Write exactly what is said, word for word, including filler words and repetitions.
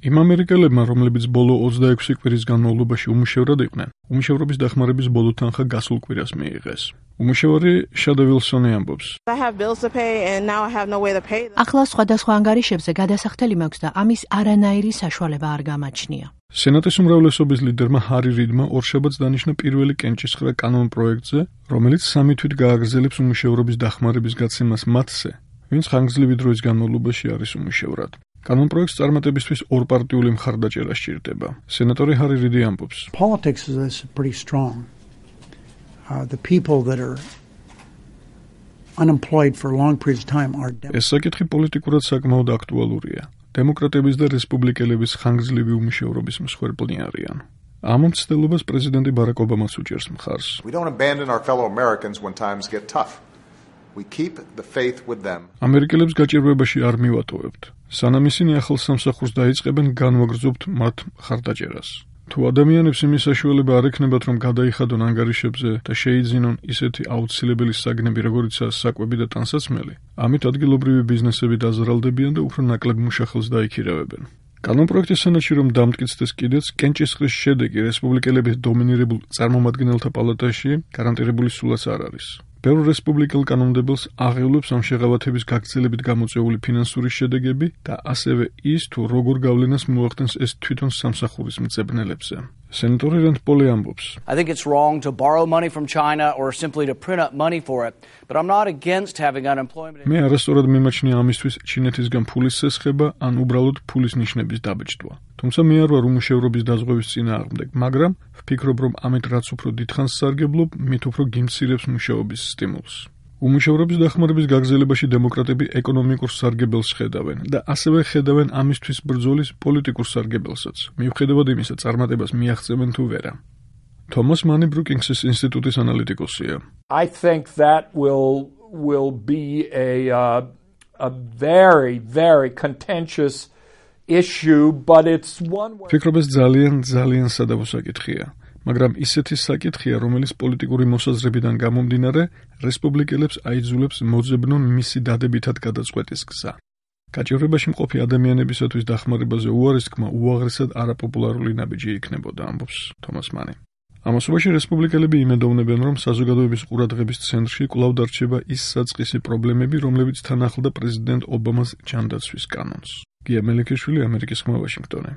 იმ ამერიკელებმა, რომლებიც ბოლო ოცდაექვსი კვირის განმავლობაში უმუშევრად იყვნენ, უმუშევრობის დახმარების ბოლო თანხა გასულ კვირას მიიღეს. უმუშევარი შადა ვილსონი ამბობს. ახლა სხვადასხვა ანგარიშებზე გადასახდელი მაქვს და ამის არანაირი საშუალება არ გამაჩნია. სენატის უმრავლესობის ლიდერმა ჰარი რიდმა ორშაბათს დანიშნა პირველი კენჭისყრა კანონპროექტზე, რომელიც სამი თვით გააგრძელებს უმუშევრობის დახმარების გაცემას მათზე, ვინც ხანგრძლივი დროის განმავლობაში არის უმუშევრად. კანონპროექტს წარმატებისთვის ორპარტიული მხარდაჭერა სჭირდება. სენატორი ჰარი რიდი ამბობს. Politics is pretty strong. Uh, the people that are unemployed for long periods of time are ეს საკითხი პოლიტიკურად საკმაოდ აქტუალურია. დემოკრატების და რესპუბლიკელების ხანგრძლივი უმუშევრობის მსხვერპლი არიან. ამ მცდელობას პრეზიდენტი ბარაკ ობამაც უჭერს მხარს. We don't abandon our fellow Americans when times get tough. We keep the faith with them. ამერიკელებს გაჭირვებაში არ მივატოვებთ. სანამ ისინი ახალ სამსახურს დაიწყებენ, განვაგრძობთ მათ მხარდაჭერას. თუ ადამიანებს იმის საშუალება არ ექნებათ, რომ გადაიხადონ ანგარიშებზე და შეიძინონ ისეთი აუცილებელი საგნები, როგორიცაა საკვები და ტანსაცმელი, ამით ადგილობრივი ბიზნესები დაზარალდებიან და უფრო ნაკლებ მუშახელს დაიქირავებენ. კანონპროექტის სენატში რომ დამტკიცდეს კიდეც, კენჭისყრის შედეგი რესპუბლიკელების დომინირებულ წარმომადგენელთა პალატაში გარანტირებული სულაც არ არის. ბევრ რესპუბლიკელ კანონმდებელს აღივლებს ამ შეღავათების გაგრძელებით გამოწვეული ფინანსური შედეგები და ასევე ის, თუ როგორ გავლენას მოახდენს ეს თვითონ სამსახურის მწებნელებზე. სენატორი რანდ პოლი ამბობს. I think it's wrong to borrow money from China or simply to print up money for it, but I'm not against having unemployment. მე არასწორად მიმაჩნია ამისთვის ჩინეთისგან ფულის სესხება ან უბრალოდ ფულის ნიშნების დაბეჭდვა. თუმცა მე არ ვარ უმუშევრობის დაზღვევის წინააღმდეგ, მაგრამ ვფიქრობ, რომ ამით რაც უფრო დიდხანს სარგებლობ, მით უფრო გიმცირებს მუშაობის სტიმულს. უმუშევრობის დახმარების გაგრძელებაში დემოკრატები ეკონომიკურ სარგებელს ხედავენ და ასევე ხედავენ ამისთვის ბრძოლის პოლიტიკურ სარგებელსაც. მიუხედავად იმისა, წარმატებას მიაღწევენ თუ ვერა. თომას მანი ბრუკინგსის ინსტიტუტის ანალიტიკოსია. I think that will will be a uh, a very very contentious issue, but it's one where ფიქრობ ეს ძალიან ძალიან სადავო საკითხია. მაგრამ ისეთი საკითხია, რომელიც პოლიტიკური მოსაზრებიდან გამომდინარე, რესპუბლიკელებს აიძულებს მოძებნონ მისი დადებითად გადაწყვეტის გზა. გაჭირვებაში მყოფი ადამიანებისათვის დახმარებაზე უარესთქმა უაღრესად არაპოპულარული ნაბიჯი იქნებოდა, ამბობს თომას მანი. ამასობაში რესპუბლიკელები იმედოვნებენ, რომ საზოგადოების ყურადღების ცენტრში კვლავ დარჩება ის საწყისი პრობლემები, რომლებიც თან ახლდა პრეზიდენტ ობამას ჯანდაცვის კანონს. გია მელიქიშვილი, ამერიკის ხმა, ვაშინგტონი.